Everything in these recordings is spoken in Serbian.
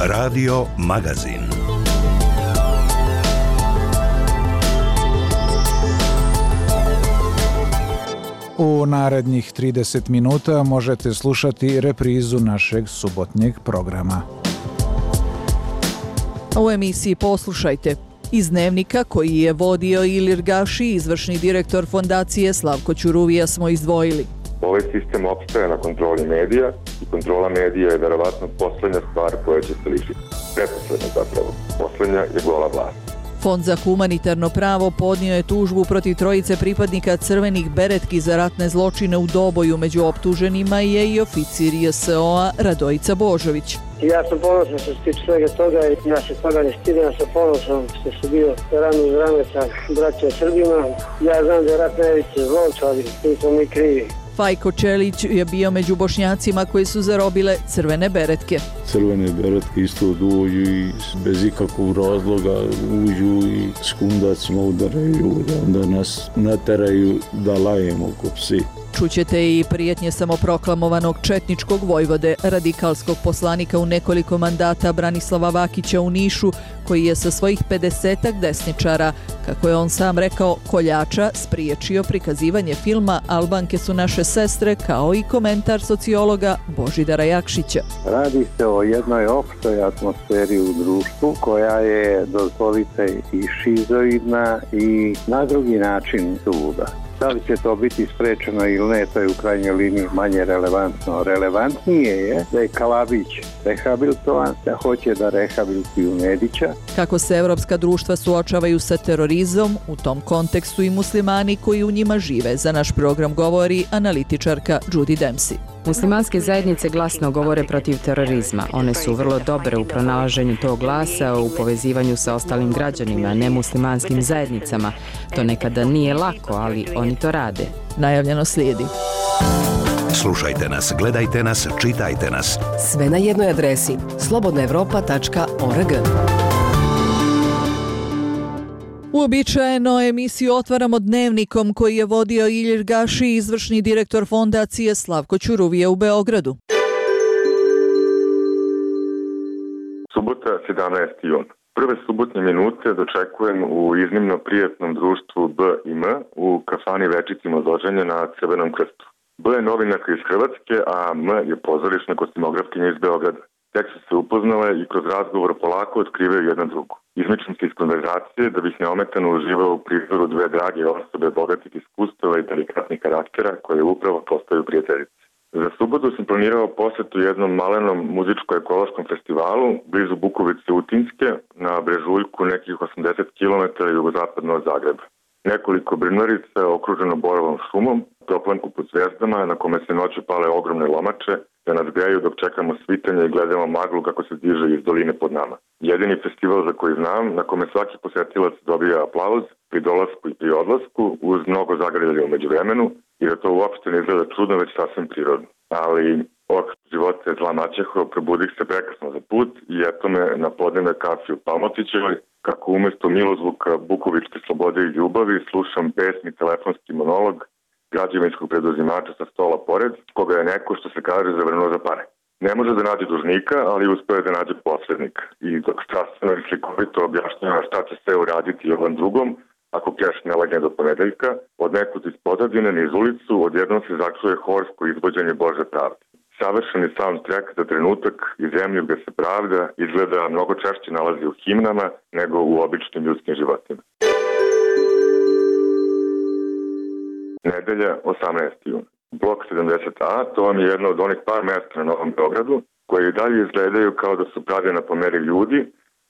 Radio Magazin. U narednih 30 minuta možete slušati reprizu našeg subotnjeg programa. U emisiji poslušajte. Iz dnevnika koji je vodio Ilir Gaši, izvršni direktor fondacije Slavko Ćuruvija, smo izdvojili. Ovaj sistem opstaje na kontroli medija i kontrola medija je verovatno poslednja stvar koja će se lišiti. Pretposlednja zapravo. Poslednja je gola vlast. Fond za humanitarno pravo podnio je tužbu protiv trojice pripadnika crvenih beretki za ratne zločine u Doboju. Među optuženima je i oficir JSO-a Radojica Božović. Ja sam ponosan što se tiče svega toga i ja se toga ne stidim, ja sam ponosan što sam bio rame uz rame sa braćom Srbima. Ja znam da je rat najveće zlo, ali nismo mi krivi. Fajko Čelić je bio među Bošnjacima koji su zarobile crvene beretke. Crvene beretke isto dođu i bez ikakvog razloga uđu i s kundacima udaraju, onda nas nateraju da lajemo ko psi. Čućete i prijetnje samoproklamovanog četničkog vojvode, radikalskog poslanika u nekoliko mandata Branislava Vakića u Nišu, koji je sa svojih 50-ak desničara, kako je on sam rekao, koljača, spriječio prikazivanje filma Albanke su naše sestre, kao i komentar sociologa Božidara Jakšića. Radi se o jednoj opštoj atmosferi u društvu koja je, dozvolite, i šizoidna i na drugi način suluda. Da li će to biti sprečeno ili ne, to je u krajnjoj liniji manje relevantno. Relevantnije je da je Kalabić rehabilitovan, da hoće da rehabilituju Nedića. Kako se evropska društva suočavaju sa terorizmom, u tom kontekstu i muslimani koji u njima žive, za naš program govori analitičarka Judy Dempsey. Muslimanske zajednice glasno govore protiv terorizma. One su vrlo dobre u pronalaženju tog glasa, u povezivanju sa ostalim građanima, nemuslimanskim zajednicama. To nekada nije lako, ali oni to rade. Najavljeno slijedi. Slušajte nas, gledajte nas, čitajte nas. Sve na jednoj adresi slobodnaevropa.org. Uobičajeno emisiju otvaramo dnevnikom koji je vodio Ilir Gaši, izvršni direktor fondacije Slavko Ćuruvija u Beogradu. Subota, 17. jun. Prve subotnje minute dočekujem u iznimno prijatnom društvu B i M u kafani Večici Mozoženje na Crvenom krstu. B je novinarka iz Hrvatske, a M je pozorišna kostimografkinja iz Beograda. Tek su se upoznale i kroz razgovor polako otkrivaju jedna drugu. Izmičem se iz konverzacije da bih neometano uživao u prizoru dve drage osobe bogatih iskustava i delikatnih karaktera koje upravo postaju prijateljice. Za subotu sam planirao posetu jednom malenom muzičko-ekološkom festivalu blizu Bukovice Utinske na brežuljku nekih 80 km jugozapadno od Zagreba. Nekoliko brnarica okruženo borovom šumom, toplanku pod zvezdama na kome se noću pale ogromne lomače, da nas greju dok čekamo svitanje i gledamo maglu kako se diže iz doline pod nama. Jedini festival za koji znam, na kome svaki posetilac dobija aplauz pri dolasku i pri odlasku, uz mnogo zagrljanja u međuvremenu, i da to uopšte ne izgleda čudno, već sasvim prirodno. Ali života je zla maćeho, probudih se prekasno za put i eto me na podnevne kafi u Palmotićevoj, kako umesto milozvuka bukovičke slobode i ljubavi slušam besni telefonski monolog građevinskog preduzimača sa stola pored, koga je neko, što se kaže, zavrnuo za pare. Ne može da nađe dužnika, ali uspeo da nađe posrednika. I dok strastveno i slikovito objašnjava šta će se uraditi ovom drugom, ako keš ne legne do ponedeljka, od nekud iz pozadine niz ulicu odjednom se začuje horsko izvođenje Bože pravde. Savršeni soundtrack za trenutak i zemlju gde se pravda izgleda mnogo češće nalazi u himnama nego u običnim ljudskim životima. Nedelja, 18. jun. Blok 70A, to vam je jedno od onih par mesta na Novom Beogradu, koje i dalje izgledaju kao da su pravljena po meri ljudi,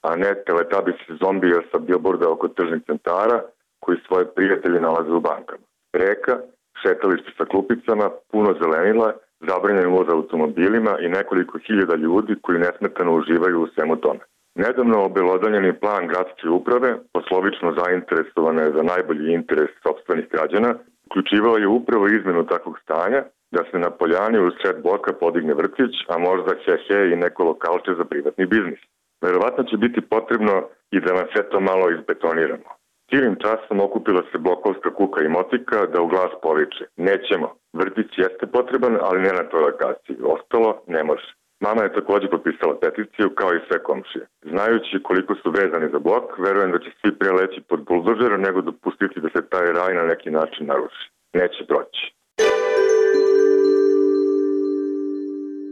a ne teletabisi zombija sa bilborda oko tržnih centara koji svoje prijatelje nalaze u bankama. Reka, šetalište sa klupicama, puno zelenila, zabranjen ulaz automobilima i nekoliko hiljada ljudi koji nesmetano uživaju u svemu tome. Nedavno obelodanjeni plan gradske uprave, poslovično zainteresovane za najbolji interes sopstvenih građana, uključivao je upravo izmenu takvog stanja, da se na poljani uz sred bloka podigne vrtić, a možda he i neko lokalče za privatni biznis. Verovatno će biti potrebno i da nam sve to malo izbetoniramo. Cijelim časom okupila se blokovska kuka i motika da u glas poviče: nećemo, vrtić jeste potreban, ali ne na toj lokaciji, ostalo ne može. Mama je također potpisala peticiju kao i sve komšije. Znajući koliko su vezani za blok, verujem da će svi pre leći pod buldožera nego dopustiti da se taj raj na neki način naruši. Neće proći.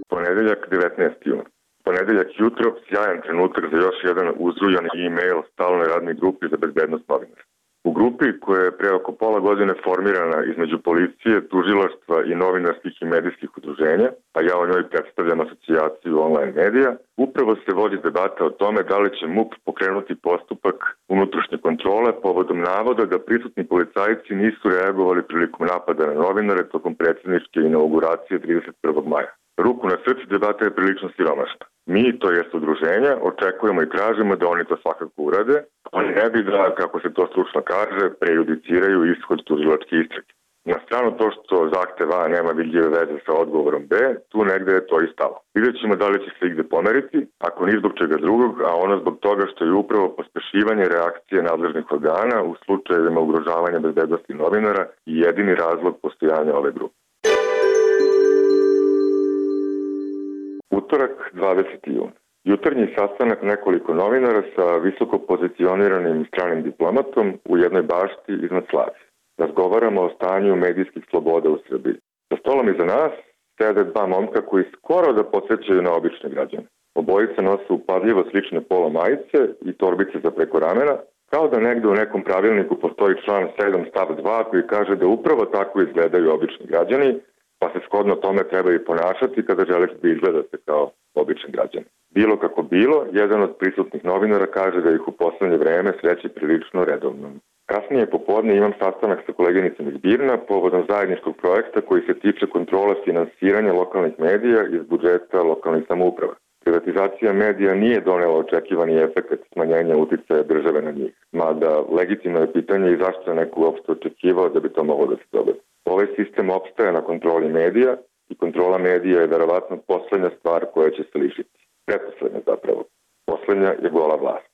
Ponedeljak 19. jun. Ponedeljak jutro, sjajan trenutak za još jedan uzrujan e-mail stalnoj radnoj grupi za bezbednost novinara. U grupi koja je pre oko pola godine formirana između policije, tužilaštva i novinarskih i medijskih udruženja, a ja o njoj predstavljam asocijaciju online medija, upravo se vodi debata o tome da li će MUP pokrenuti postupak unutrašnje kontrole povodom navoda da prisutni policajci nisu reagovali prilikom napada na novinare tokom predsjedničke inauguracije 31. maja. Ruku na srce, debata je prilično siromašna. Mi, to jest udruženja, očekujemo i tražimo da oni to svakako urade, ali ne bi da, kako se to stručno kaže, prejudiciraju ishod tužilačke istrage. Na stranu to što zahtev A nema vidljive veze sa odgovorom B, tu negde je to i stalo. Vidjet ćemo da li će se igde pomeriti, ako ni zbog čega drugog, a ono zbog toga što je upravo pospešivanje reakcije nadležnih organa u slučajevima ugrožavanja bezbednosti novinara i jedini razlog postojanja ove grupe. Utorak, 20. jun. Jutarnji sastanak nekoliko novinara sa visoko pozicioniranim stranim diplomatom u jednoj bašti iznad Slavije. Razgovaramo o stanju medijskih sloboda u Srbiji. Za stolom iza nas sede dva momka koji skoro da podsjećaju na obične građane. Obojica nose upadljivo slične polo majice i torbice za preko ramena, kao da negde u nekom pravilniku postoji član 7 stav 2 koji kaže da upravo tako izgledaju obični građani, pa se shodno tome treba i ponašati kada želite da izgledate kao obični građani. Bilo kako bilo, jedan od prisutnih novinara kaže da ih u poslednje vreme sreće prilično redovno. Kasnije popodne imam sastanak sa koleginicom iz Birna povodom zajedničkog projekta koji se tiče kontrole finansiranja lokalnih medija iz budžeta lokalnih samouprava. Privatizacija medija nije donela očekivani efekt smanjenja uticaja države na njih, mada legitimno je pitanje i zašto je neko uopšte očekivao da bi to moglo da se dogodi. Ovaj sistem opstaje na kontroli medija i kontrola medija je verovatno poslednja stvar koja će se lišiti. Pretposlednja zapravo. Poslednja je gola vlast.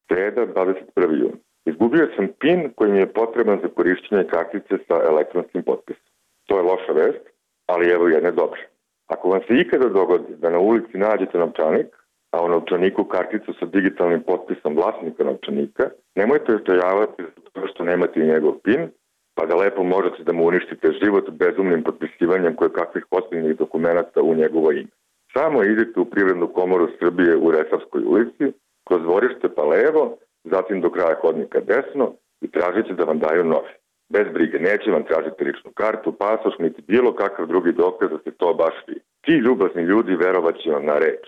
Sreda, 21. jun. Izgubio sam PIN koji mi je potreban za korišćenje kartice sa elektronskim potpisom. To je loša vest, ali evo jedne dobre. Ako vam se ikada dogodi da na ulici nađete novčanik, a u novčaniku karticu sa digitalnim potpisom vlasnika novčanika, nemojte očajavati zato što nemate i njegov PIN, pa da lepo možete da mu uništite život bezumnim potpisivanjem koje kakvih ozbiljnih dokumenata u njegovo ime. Samo idite u Privrednu komoru Srbije u Resavskoj ulici, kroz dvorište pa levo, zatim do kraja hodnika desno i tražite da vam daju novi. Bez brige, neće vam tražiti ličnu kartu, pasoš, niti bilo kakav drugi dokaz da ste to baš vi. Ti ljubazni ljudi verovat će vam na reč.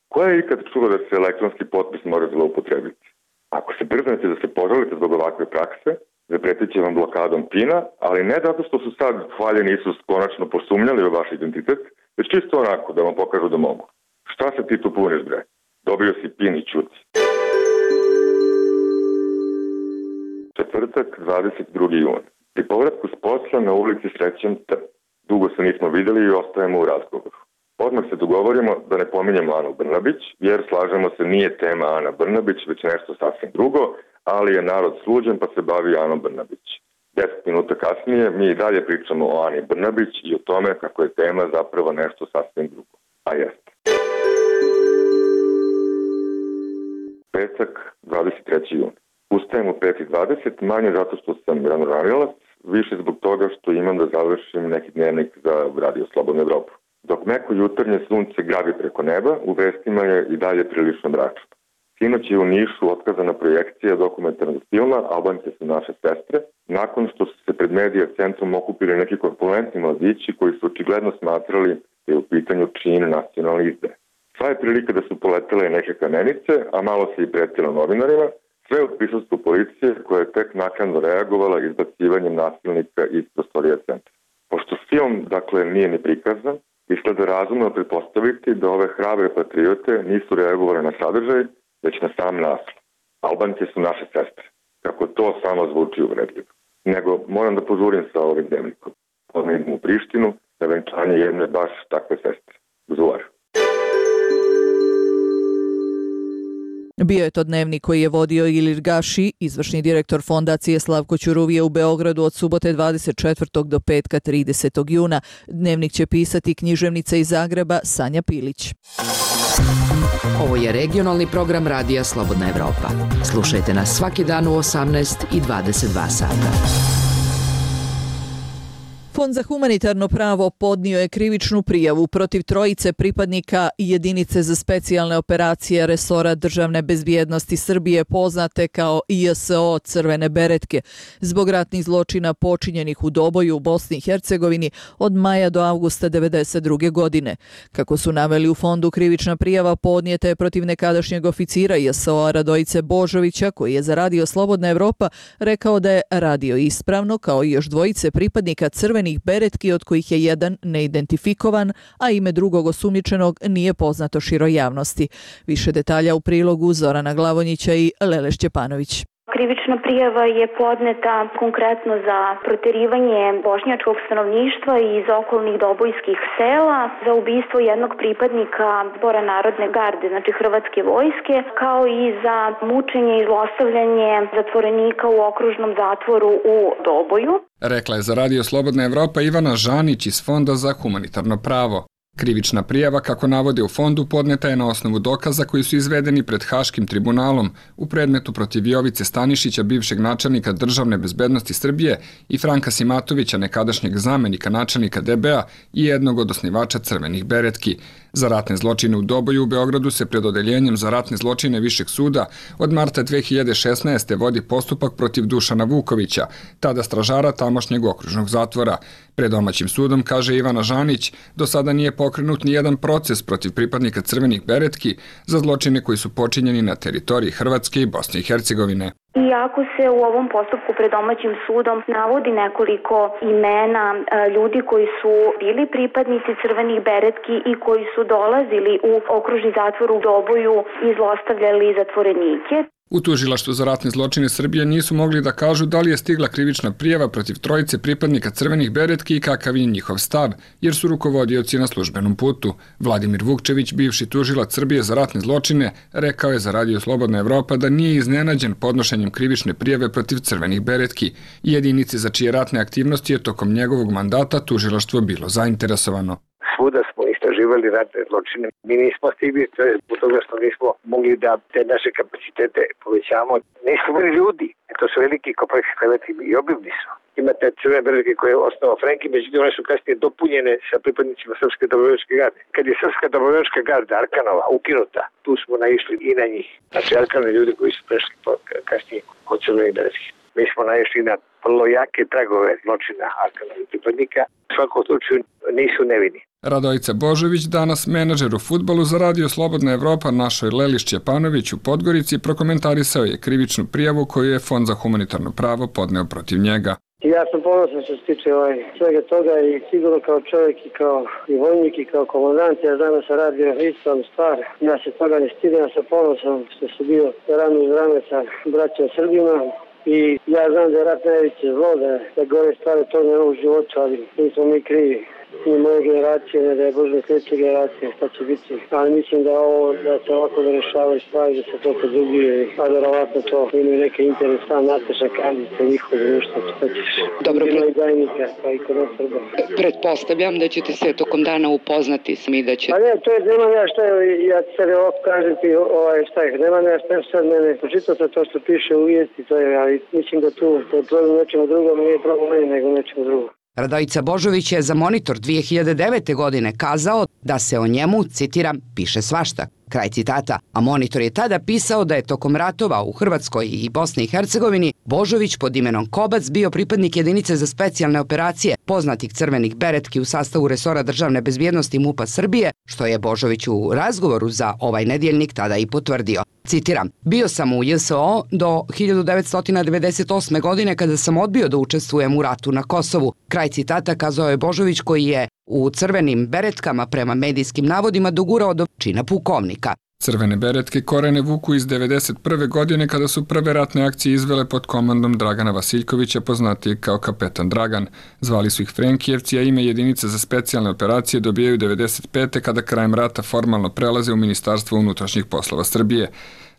Ko je ikad čuo da se elektronski potpis može zloupotrebiti? Ako se drznete da se požalite zbog ovakve prakse, zapretit će vam blokadom PIN-a, ali ne zato što su sad hvaljeni Isus konačno posumnjali u vaš identitet, već čisto onako da vam pokažu da mogu. Šta se ti tu puniš, bre? Dobio si PIN i čuti. Četvrtak, 22. jun. Pri povratku s posla na ulici srećem T. Dugo se nismo videli i ostajemo u razgovoru. Odmah se dogovorimo da ne pominjemo Anu Brnabić, jer slažemo se nije tema Ana Brnabić, već nešto sasvim drugo, ali je narod sluđen pa se bavi Anom Brnabić. 10 minuta kasnije mi i dalje pričamo o Ani Brnabić i o tome kako je tema zapravo nešto sasvim drugo. A jeste. Petak, 23. jun. Ustajem u 5:20, manje zato što sam ranožanilac, više zbog toga što imam da završim neki dnevnik za Radio Slobodnu Evropu. Dok meko jutarnje sunce grabi preko neba, u vestima je i dalje prilično mračno. Sinoć je u Nišu otkazana projekcija dokumentarnog filma Albanke su naše sestre, nakon što su se pred medija centrom okupili neki korpulentni mladići koji su očigledno smatrali da je u pitanju čin nacionalne izdaje. Sva je prilika da su poletele neke kamenice, a malo se i pretilo novinarima, sve u prisustvu policije koja je tek naknadno reagovala izbacivanjem nasilnika iz prostorija centra. Pošto film, dakle, nije ni prikazan, izgleda razumno pretpostaviti da ove hrabre patriote nisu reagovale na sadržaj, već na sam naslov. Albanke su naše sestre. Kako to samo zvuči uvredljivo. Nego moram da požurim sa ovim dnevnikom. Odmah idem u Prištinu na venčanje jedne baš takve sestre. Zuvar. Bio je to dnevnik koji je vodio Ilir Gaši, izvršni direktor fondacije Slavko Ćuruvije u Beogradu od subote 24. do petka 30. juna. Dnevnik će pisati književnica iz Zagreba Sanja Pilić. Ovo je regionalni program Radija Slobodna Evropa. Slušajte nas svaki dan u 18 i 22 sata. Fond za humanitarno pravo podnio je krivičnu prijavu protiv trojice pripadnika jedinice za specijalne operacije resora državne bezbjednosti Srbije poznate kao JSO Crvene beretke zbog ratnih zločina počinjenih u Doboju u Bosni i Hercegovini od maja do avgusta 1992. godine. Kako su naveli u fondu, krivična prijava podnijeta je protiv nekadašnjeg oficira JSO-a Radojice Božovića koji je za Radio Slobodna Evropa rekao da je radio ispravno kao i još dvojice pripadnika Crvene beretki od kojih je jedan neidentifikovan, a ime drugog osumnjičenog nije poznato široj javnosti. Više detalja u prilogu Zorana Glavonjića i Lele Šćepanović. Krivična prijava je podneta konkretno za proterivanje bošnjačkog stanovništva iz okolnih dobojskih sela, za ubistvo jednog pripadnika Zbora narodne garde, znači Hrvatske vojske, kao i za mučenje i zlostavljanje zatvorenika u okružnom zatvoru u Doboju. Rekla je za Radio Slobodna Evropa Ivana Žanić iz Fonda za humanitarno pravo. Krivična prijava, kako navode u fondu, podneta je na osnovu dokaza koji su izvedeni pred Haškim tribunalom u predmetu protiv Jovice Stanišića, bivšeg načelnika državne bezbednosti Srbije, i Franka Simatovića, nekadašnjeg zamenika načelnika DB-a i jednog od osnivača Crvenih beretki. Za ratne zločine u Doboju u Beogradu se pred odeljenjem za ratne zločine Višeg suda od marta 2016. vodi postupak protiv Dušana Vukovića, tada stražara tamošnjeg okružnog zatvora. Pred domaćim sudom, kaže Ivana Žanić, do sada nije pokrenut ni jedan proces protiv pripadnika Crvenih beretki za zločine koji su počinjeni na teritoriji Hrvatske i Bosne i Hercegovine. Iako se u ovom postupku pred domaćim sudom navodi nekoliko imena ljudi koji su bili pripadnici Crvenih beretki i koji su dolazili u okružni zatvor u Doboju i zlostavljali zatvorenike. U tužilaštvu za ratne zločine Srbije nisu mogli da kažu da li je stigla krivična prijava protiv trojice pripadnika Crvenih beretki i kakav je njihov stav, jer su rukovodioci na službenom putu. Vladimir Vukčević, bivši tužilac Srbije za ratne zločine, rekao je za Radio Slobodna Evropa da nije iznenađen podnošenjem krivične prijave protiv Crvenih beretki i jedinice za čije ratne aktivnosti je tokom njegovog mandata tužilaštvo bilo zainteresovano. Svuda smo istraživali ratne zločine. Mi nismo stigli, to je zbog toga što nismo mogli da te naše kapacitete povećamo. Nismo bili ljudi. To su veliki kompleksi kreveti i obimni su. Imate Crvene beretke koje je osnovao Frenki, međutim one su kasnije dopunjene sa pripadnicima Srpske dobrovoljačke garde. Kad je Srpska dobrovoljačka garda Arkanova ukinuta, tu smo naišli i na njih. Znači Arkanove ljudi koji su prešli kasnije od Crvenih beretki. Mi smo naišli na vrlo jake tragove zločina Arkanovih pripadnika. U svakom slučaju nisu nevini. Radojica Božović, danas menadžer u fudbalu za Radio Slobodna Evropa, našoj Leli Šćepanović u Podgorici, prokomentarisao je krivičnu prijavu koju je Fond za humanitarno pravo podneo protiv njega. Ja sam ponosan što se tiče svega toga i sigurno kao čovjek i kao i vojnik i kao komandant, ja znam da sam radio ispravnu stvar. Ja se toga ne stidim, ja sam ponosan što sam bio rame uz rame sa braćom Srbima. I ja znam da je rat najveće zlo, da gore stvari to ne u životu, ali nismo mi krivi. Ni moje generacije, ne da je Bože sljedeće generacije, šta će biti. Ali mislim da se ovako da rešavaju stvari, da se to produbije, a verovatno to imaju neke interesa, Nataša Kandica, njihovo društvo, šta ćeš. Dobro, i Dajnika, pa i kod nas Srba. Pretpostavljam da ćete se tokom dana upoznati s mi da će... Pa ne, to je, nemam ja šta, ja ti sad ovako kažem ti, šta je, nemam ja šta sad mene, počitao sam to što piše u vijesti, to je, ali mislim da tu, to je problem nečemu drugom, nije problem meni, nego nečemu drugom. Radojica Božović je za Monitor 2009. godine kazao da se o njemu, citiram, piše svašta. Kraj citata. A Monitor je tada pisao da je tokom ratova u Hrvatskoj i Bosni i Hercegovini Božović pod imenom Kobac bio pripadnik jedinice za specijalne operacije poznatih Crvenih beretki u sastavu resora državne bezbjednosti MUP-a Srbije, što je Božović u razgovoru za ovaj nedjeljnik tada i potvrdio. Citiram, bio sam u JSO do 1998. godine kada sam odbio da učestvujem u ratu na Kosovu. Kraj citata kazao je Božović koji je u Crvenim beretkama prema medijskim navodima dogurao do čina pukovnika. Crvene beretke korene vuku iz 1991. godine kada su prve ratne akcije izvele pod komandom Dragana Vasiljkovića, poznatijeg kao Kapetan Dragan. Zvali su ih Frenkijevci, a ime jedinice za specijalne operacije dobijaju 1995. kada krajem rata formalno prelaze u Ministarstvo unutrašnjih poslova Srbije.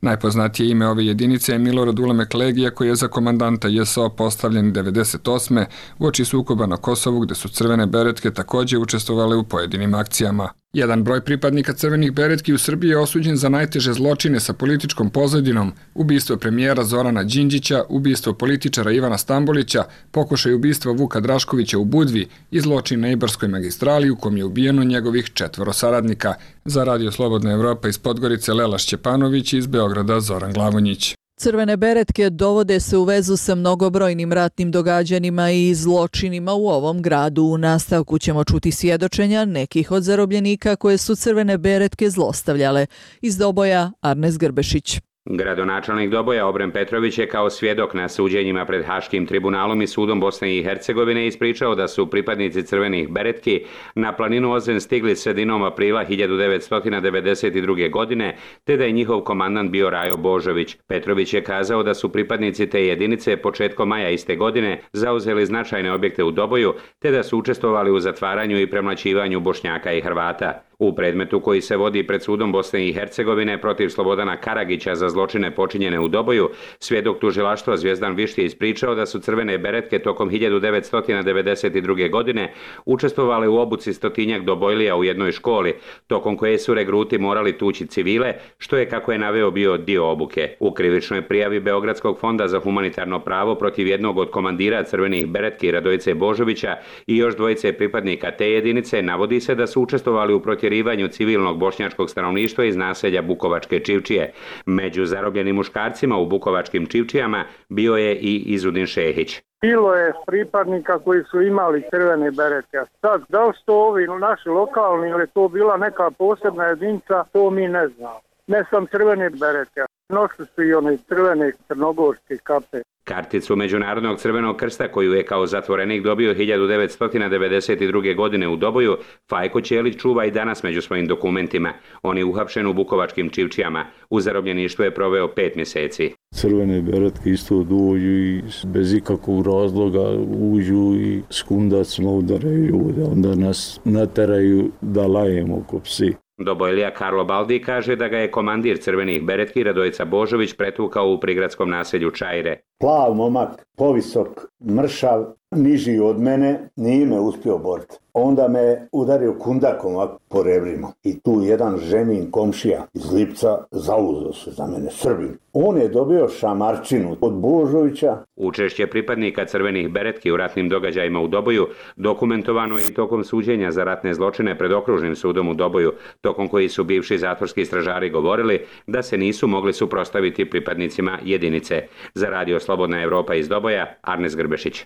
Najpoznatije ime ove jedinice je Milorad Ulemek Legija, koji je za komandanta JSO postavljen 98. uoči sukoba na Kosovu, gde su crvene beretke takođe učestvovale u pojedinim akcijama. Jedan broj pripadnika crvenih beretki u Srbiji je osuđen za najteže zločine sa političkom pozadinom: ubistvo premijera Zorana Đinđića, ubistvo političara Ivana Stambolića, pokušaj ubistva Vuka Draškovića u Budvi i zločin na Ibarskoj magistrali u kom je ubijeno njegovih 4 saradnika. Za Radio Slobodna Evropa iz Podgorice Lela Šćepanović, iz Beograda Zoran Glavonjić. Crvene beretke dovode se u vezu sa mnogobrojnim ratnim događanjima i zločinima u ovom gradu. U nastavku ćemo čuti svjedočenja nekih od zarobljenika koje su crvene beretke zlostavljale. Iz Doboja Arnes Grbešić. Gradonačelnik Doboja Obren Petrović je kao svjedok na suđenjima pred Haškim tribunalom i sudom Bosne i Hercegovine ispričao da su pripadnici crvenih beretki na planinu Ozren stigli sredinom aprila 1992. godine, te da je njihov komandant bio Rajo Božović. Petrović je kazao da su pripadnici te jedinice početkom maja iste godine zauzeli značajne objekte u Doboju, te da su učestvovali u zatvaranju i premlaćivanju Bošnjaka i Hrvata. U predmetu koji se vodi pred sudom Bosne i Hercegovine protiv Slobodana Karagića za zločine počinjene u Doboju, svjedok tužilaštva Zvijezdan Višti je ispričao da su crvene beretke tokom 1992. godine učestvovale u obuci stotinjak Dobojlija u jednoj školi, tokom koje su regruti morali tući civile, što je, kako je naveo, bio dio obuke. U krivičnoj prijavi Beogradskog fonda za humanitarno pravo protiv jednog od komandira crvenih beretki Radojice Božovića i još dvojice pripadnika te jedinice navodi se da su učestvovali u protjerivanju civilnog bošnjačkog stanovništva iz naselja Bukovačke Čivčije. Među zarobljenim muškarcima u Bukovačkim Čivčijama bio je i Izudin Šehić. Bilo je pripadnika koji su imali crvene beretke. Sad, da li su to ovi naši lokalni ili to bila neka posebna jedinica, to mi ne znamo. Ne sam crvene beretke. Nosili su i one crvene crnogorske kape. Karticu Međunarodnog crvenog krsta, koju je kao zatvorenik dobio 1992. godine u Doboju, Fajko Ćelić čuva i danas među svojim dokumentima. On je uhapšen u Bukovačkim Čivčijama. U zarobljeništvu je proveo 5 mjeseci. Crvene beretke isto dođu i bez ikakvog razloga uđu i s kundacima udaraju ljude. Onda nas nateraju da lajemo ko psi. Dobojlija Karlo Baldi kaže da ga je komandir crvenih beretki Radojica Božović pretukao u prigradskom naselju Čajre. Plav momak, povisok, mršav, niži od mene, nije me uspio boriti. Onda me udario kundakom po rebrima. I tu jedan ženin komšija iz Lipca zauzeo se za mene, Srbin. On je dobio šamarčinu od Božovića. Učešće pripadnika crvenih beretki u ratnim događajima u Doboju dokumentovano je i tokom suđenja za ratne zločine pred okružnim sudom u Doboju, tokom koji su bivši zatvorski stražari govorili da se nisu mogli suprotstaviti pripadnicima jedinice. Za Radio Slobodna Evropa iz Doboja, Arnes Grbešić.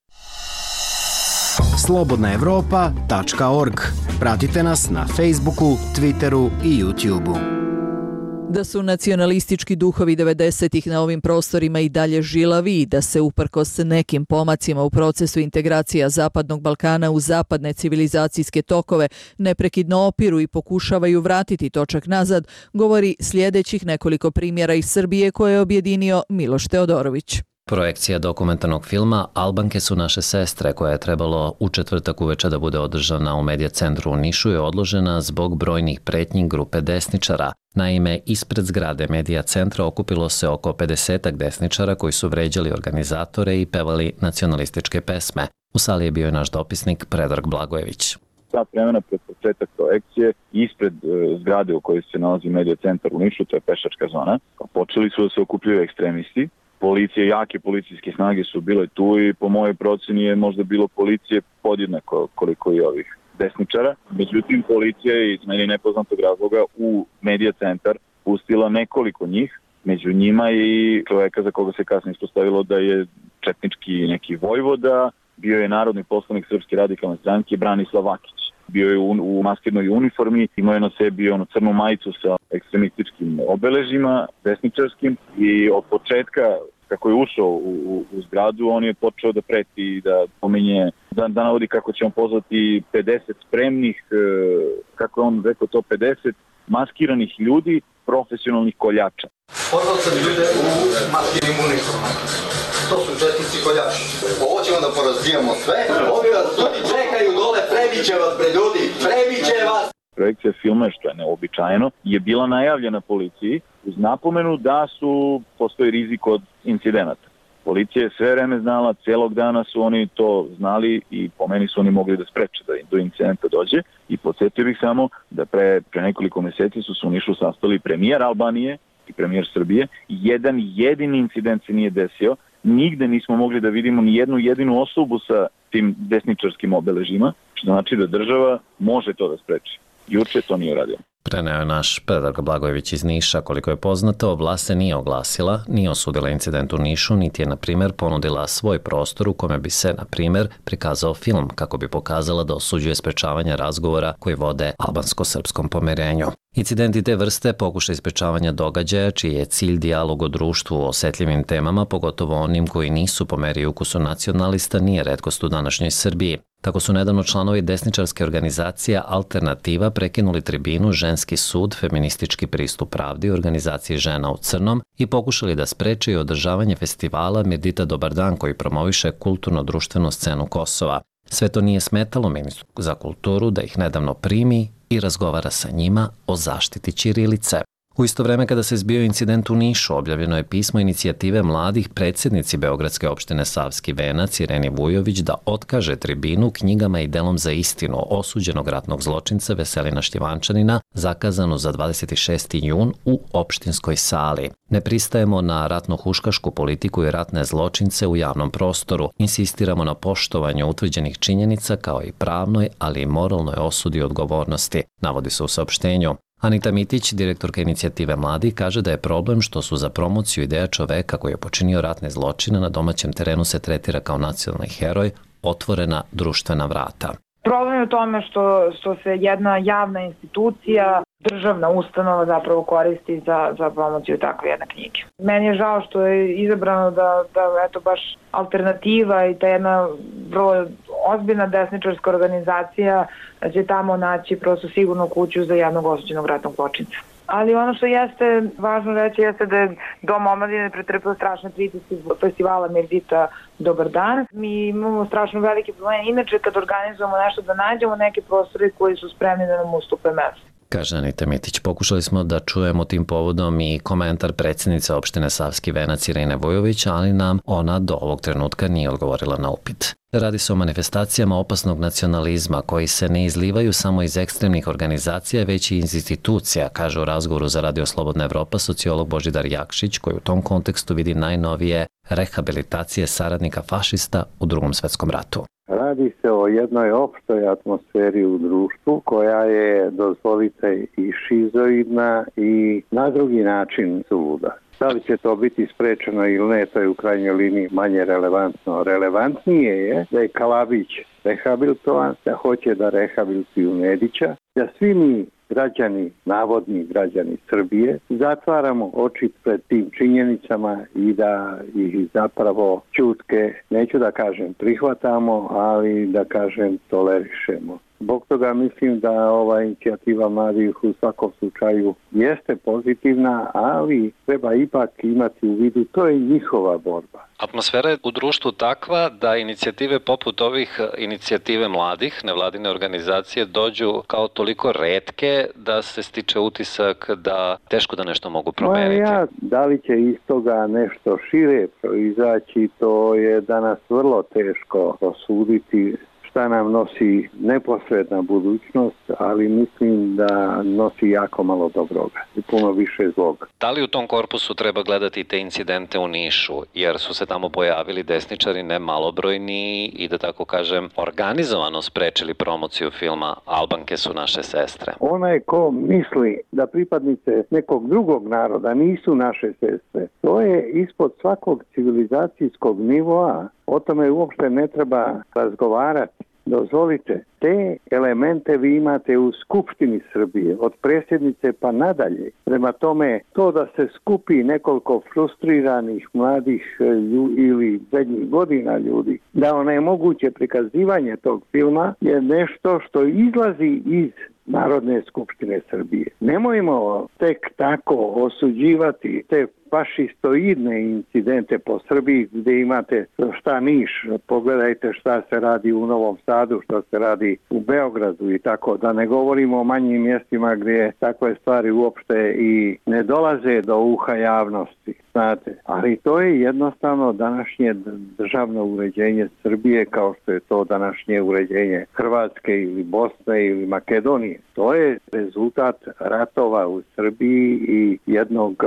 slobodnaevropa.org. Pratite nas na Facebooku, Twitteru i YouTubeu. Da su nacionalistički duhovi 90-ih na ovim prostorima i dalje žilavi i da se uprkos nekim pomacima u procesu integracija Zapadnog Balkana u zapadne civilizacijske tokove neprekidno opiru i pokušavaju vratiti točak nazad, govori sljedećih nekoliko primjera iz Srbije koje je objedinio Miloš Teodorović. Projekcija dokumentarnog filma Albanke su naše sestre, koja je trebalo u četvrtak uveče da bude održana u Medija centru u Nišu, je odložena zbog brojnih pretnji grupe desničara. Naime, ispred zgrade Medija centra okupilo se oko 50 desničara koji su vređali organizatore i pevali nacionalističke pesme. U sali je bio i naš dopisnik Predrag Blagojević. Sat vremena pred početak projekcije, ispred zgrade u kojoj se nalazi Medija centar u Nišu, to je pešačka zona, počeli su da se okupljaju ekstremisti. Policije, jake policijske snage su bile tu i po mojoj proceni je možda bilo policije podjednako koliko i ovih desničara. Međutim, policija je iz meni nepoznatog razloga u Medija centar pustila nekoliko njih, među njima i čoveka za koga se kasnije ispostavilo da je četnički neki vojvoda, bio je narodni poslanik Srpske radikalne stranke Branislav Vakić. Bio je u maskirnoj uniformi, imao je na sebi crnu majicu sa ekstremističkim obeležima, desničarskim, i od početka, kako je ušao u zgradu, on je počeo da preti i da pominje, da navodi kako će on pozvati 50 spremnih, kako je on rekao to, 50 maskiranih ljudi, profesionalnih koljača. Pozvao sam ljude u maskirnim uniformama. To su četnici koljači. Ovo ćemo da porazbijamo sve. Ovi vas ljudi čekaju dole, prebit će vas, bre ljudi, prebit će vas. projekcija filma, što je neobičajeno, je bila najavljena policiji uz napomenu da postoji rizik od incidenata. Policija je sve vreme znala, celog dana su oni to znali i po meni su oni mogli da spreče da do incidenta dođe. I podsjetio bih samo da pre nekoliko meseci su se u Nišu sastali premijer Albanije i premijer Srbije. Jedan jedini incident se nije desio. Nigde nismo mogli da vidimo ni jednu jedinu osobu sa tim desničarskim obeležima, što znači da država može to da spreči. Juče to nije uradio. Preneo je naš Predrag Blagojević iz Niša. Koliko je poznato, vlast se nije oglasila, nije osudila incident u Nišu, niti je, na primjer, ponudila svoj prostor u kome bi se, na primjer, prikazao film kako bi pokazala da osuđuje sprečavanje razgovora koji vode albansko-srpskom pomirenju. Incidenti te vrste pokušaj sprečavanja događaja čiji je cilj dijalog o društvu o osetljivim temama, pogotovo onim koji nisu po meri i ukusu nacionalista, nije retkost u današnjoj Srbiji. Tako su nedavno članovi desničarske organizacije Alternativa prekinuli tribinu Ženski sud, feministički pristup pravdi u organizaciji Žena u crnom i pokušali da spreče i održavanje festivala Mirdita Dobar dan koji promoviše kulturno-društvenu scenu Kosova. Sve to nije smetalo ministru za kulturu da ih nedavno primi i razgovara sa njima o zaštiti ćirilice. U isto vreme kada se zbio incident u Nišu, objavljeno je pismo inicijative mladih predsjednici Beogradske opštine Savski Venac Ireni Vujović da otkaže tribinu knjigama i delom za istinu osuđenog ratnog zločinca Veselina Šljivančanina zakazanu za 26. jun u opštinskoj sali. Ne pristajemo na ratno-huškašku politiku i ratne zločince u javnom prostoru. Insistiramo na poštovanju utvrđenih činjenica kao i pravnoj, ali i moralnoj osudi i odgovornosti, navodi se u saopštenju. Anita Mitić, direktorka inicijative Mladi, kaže da je problem što su za promociju ideja čoveka koji je počinio ratne zločine na domaćem terenu se tretira kao nacionalni heroj, otvorena društvena vrata. Problem je u tome što se jedna javna institucija, državna ustanova zapravo koristi za promociju takve jedne knjige. Meni je žao što je izabrano da eto baš Alternativa i ta jedna vrlo ozbiljna desničarska organizacija će tamo naći prosto sigurnu kuću za jednog osuđenog ratnog zločinca. Ali ono što jeste važno reći jeste da je Dom omladine pretrpeo strašne pritiske festivala Mirdita Dobar dan. Mi imamo strašno velike probleme. Inače, kad organizujemo nešto, da nađemo neke prostore koji su spremni da nam ustupe mesto. Kaže Anita Mitić. Pokušali smo da čujemo tim povodom i komentar predsjednice opštine Savski Venac Irene Vujović, ali nam ona do ovog trenutka nije odgovorila na upit. Radi se o manifestacijama opasnog nacionalizma koji se ne izlivaju samo iz ekstremnih organizacija, već i iz institucija, kaže u razgovoru za Radio Slobodna Evropa sociolog Božidar Jakšić, koji u tom kontekstu vidi najnovije rehabilitacije saradnika fašista u Drugom svetskom ratu. Radi se o jednoj opštoj atmosferi u društvu koja je, dozvolite, i šizoidna i na drugi način suluda. Da li će to biti sprečeno ili ne, to je u krajnjoj liniji manje relevantno. Relevantnije je da je Kalabić rehabilitovan, da hoće da rehabilituju Nedića, da svi mi građani, navodni građani Srbije, zatvaramo oči pred tim činjenicama i da ih zapravo ćutke, neću da kažem prihvatamo, ali da kažem tolerišemo. Zbog toga mislim da ova inicijativa mladih u svakom slučaju jeste pozitivna, ali treba ipak imati u vidu, to je njihova borba. Atmosfera je u društvu takva da inicijative poput ovih inicijative mladih, nevladine organizacije, dođu kao toliko retke da se stiče utisak da teško da nešto mogu promeniti. Da li će iz toga nešto šire proizaći, to je danas vrlo teško prosuditi. Šta nam nosi neposredna budućnost, ali mislim da nosi jako malo dobroga i puno više zloga. Da li u tom korpusu treba gledati te incidente u Nišu, jer su se tamo pojavili desničari ne malobrojni i da tako kažem organizovano sprečili promociju filma Albanke su naše sestre? Onaj ko misli da pripadnice nekog drugog naroda nisu naše sestre, to je ispod svakog civilizacijskog nivoa. O tome uopšte ne treba razgovarati. Dozvolite, te elemente vi imate u Skupštini Srbije, od predsjednice pa nadalje. Prema tome, to da se skupi nekoliko frustriranih mladih ili srednjih godina ljudi, da onemoguće prikazivanje tog filma je nešto što izlazi iz Narodne skupštine Srbije. Nemojmo tek tako osuđivati te fašistoidne incidente po Srbiji gdje imate šta Niš, pogledajte šta se radi u Novom Sadu, šta se radi u Beogradu i tako, da ne govorimo o manjim mjestima gdje takve stvari uopšte i ne dolaze do uha javnosti, znate. Ali to je jednostavno današnje državno uređenje Srbije kao što je to današnje uređenje Hrvatske ili Bosne ili Makedonije. To je rezultat ratova u Srbiji i jednog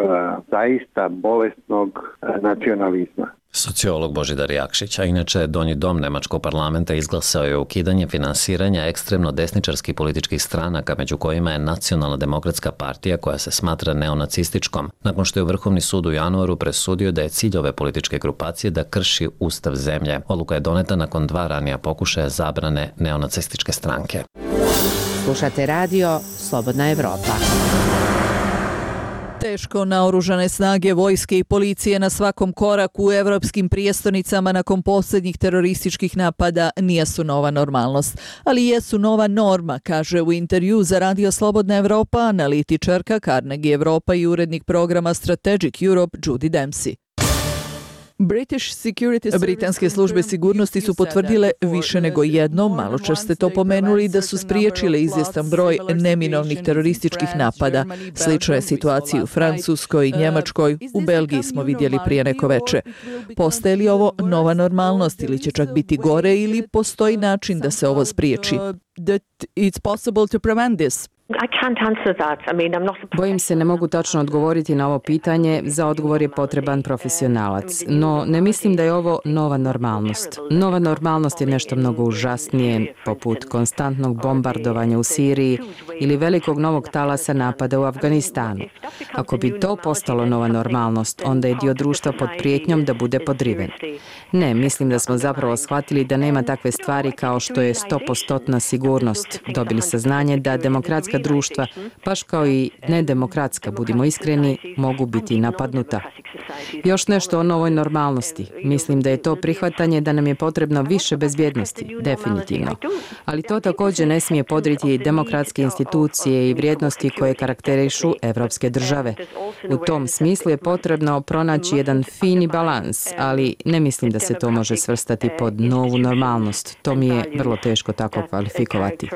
zaista bolesnog nacionalizma. Sociolog Božidar Jakšić, a inače Donji dom Nemačkog parlamenta izglasao je ukidanje finansiranja ekstremno desničarskih političkih stranaka, među kojima je Nacionalna demokratska partija koja se smatra neonacističkom, nakon što je Vrhovni sud u januaru presudio da je cilj ove političke grupacije da krši ustav zemlje. Odluka je doneta nakon 2 ranija pokušaja zabrane neonacističke stranke. Slušate radio Slobodna Evropa. Teško naoružane snage vojske i policije na svakom koraku u evropskim prijestolnicama nakon posljednjih terorističkih napada nijesu nova normalnost, ali jesu nova norma, kaže u intervju za Radio Slobodna Evropa analitičarka Carnegie Evropa i urednik programa Strategic Europe Judy Dempsey. Britanske službe sigurnosti su potvrdile više nego jednom, maločas ste to pomenuli, da su spriječile izvjestan broj neminovnih terorističkih napada. Slična je situacija u Francuskoj i Njemačkoj, u Belgiji smo vidjeli prije neko veče. Postaje li ovo nova normalnost ili će čak biti gore ili postoji način da se ovo spriječi? Bojim se ne mogu tačno odgovoriti na ovo pitanje, za odgovor je potreban profesionalac. No, ne mislim da je ovo nova normalnost. Nova normalnost je nešto mnogo užasnije, poput konstantnog bombardovanja u Siriji ili velikog novog talasa napada u Afganistanu. Ako bi to postalo nova normalnost, onda je dio društva pod prijetnjom da bude podriven. Ne, mislim da smo zapravo shvatili da nema takve stvari kao što je 100% sigurnost. Dobili saznanje da demokratska društva, baš kao i nedemokratska, budimo iskreni, mogu biti napadnuta. Još nešto o novoj normalnosti. Mislim da je to prihvatanje da nam je potrebno više bezbjednosti, definitivno. Ali to također ne smije podriti demokratske institucije i vrijednosti koje karakterišu evropske države. U tom smislu je potrebno pronaći jedan fini balans, ali ne mislim da se to može svrstati pod novu normalnost. To mi je vrlo teško tako kvalifikovati.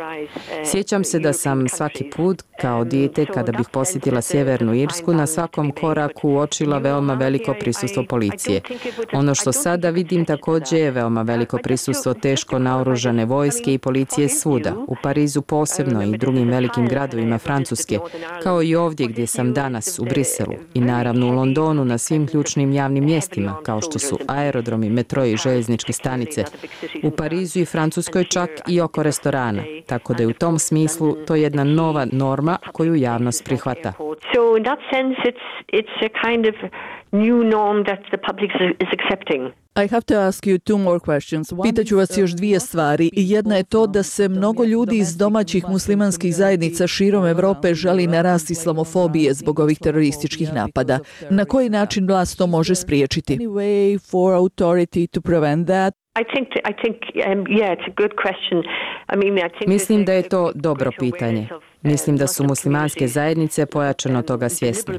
Sjećam se da sam svaki put, kao dijete, kada bih posjetila Sjevernu Irsku, na svakom koraku uočila veoma veliko prisustvo policije. Ono što sada vidim također je veoma veliko prisustvo teško naoružane vojske i policije svuda, u Parizu posebno i drugim velikim gradovima Francuske, kao i ovdje gdje sam danas, u Briselu, i naravno u Londonu na svim ključnim javnim mjestima, kao što su aerodromi, metro i željezničke stanice, u Parizu i Francuskoj čak i oko restorana, tako da je u tom smislu to jedna nova norma koju javnost prihvata. So in that sense it's a kind of new norm that the public is accepting. I have to ask you 2 more questions. Pitaću vas još 2 stvari. Jedna je to da se mnogo ljudi iz domaćih muslimanskih zajednica širom Evrope žali na rast islamofobije zbog ovih terorističkih napada. Na koji način vlast to može spriječiti? Any way for authority to prevent that? Mislim da je to dobro pitanje. Mislim da su muslimanske zajednice pojačano toga svjesne.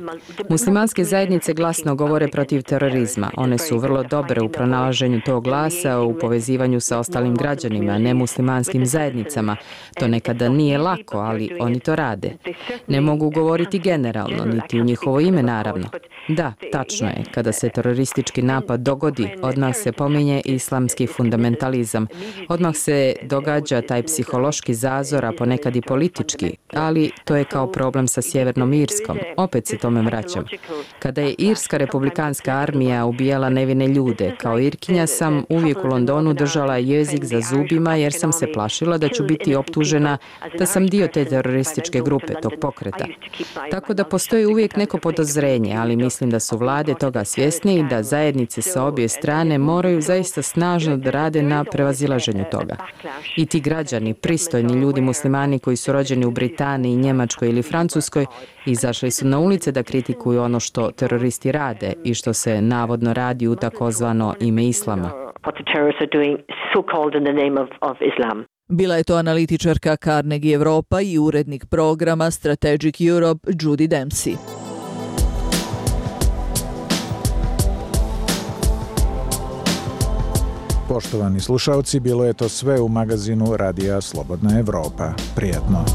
Muslimanske zajednice glasno govore protiv terorizma. One su vrlo dobre u pronalaženju tog glasa, u povezivanju sa ostalim građanima, ne muslimanskim zajednicama. To nekada nije lako, ali oni to rade. Ne mogu govoriti generalno, niti u njihovo ime naravno. Da, tačno je, kada se teroristički napad dogodi, odmah se pominje islamski fundamentalizam. Odmah se događa taj psihološki zazor, a ponekad i politički, ali to je kao problem sa Sjevernom Irskom. Opet se tome vraćam. Kada je Irska republikanska armija ubijala nevine ljude, kao Irkinja sam uvijek u Londonu držala jezik za zubima jer sam se plašila da ću biti optužena da sam dio te terorističke grupe, tog pokreta. Tako da postoji uvijek neko podozrenje, ali mislim da su vlade toga svjesne i da zajednice sa obje strane moraju zaista snažno da rade na prevazilaženju toga. I ti građani, pristojni ljudi muslimani koji su rođeni u Britaniji, Njemačkoj ili Francuskoj, izašli su na ulice da kritikuju ono što teroristi rade i što se navodno radi u takozvano ime islama. Bila je to analitičarka Carnegie Evropa i urednik programa Strategic Europe Judy Dempsey. Poštovani slušalci, bilo je to sve u magazinu Radija Slobodna Evropa. Prijetno.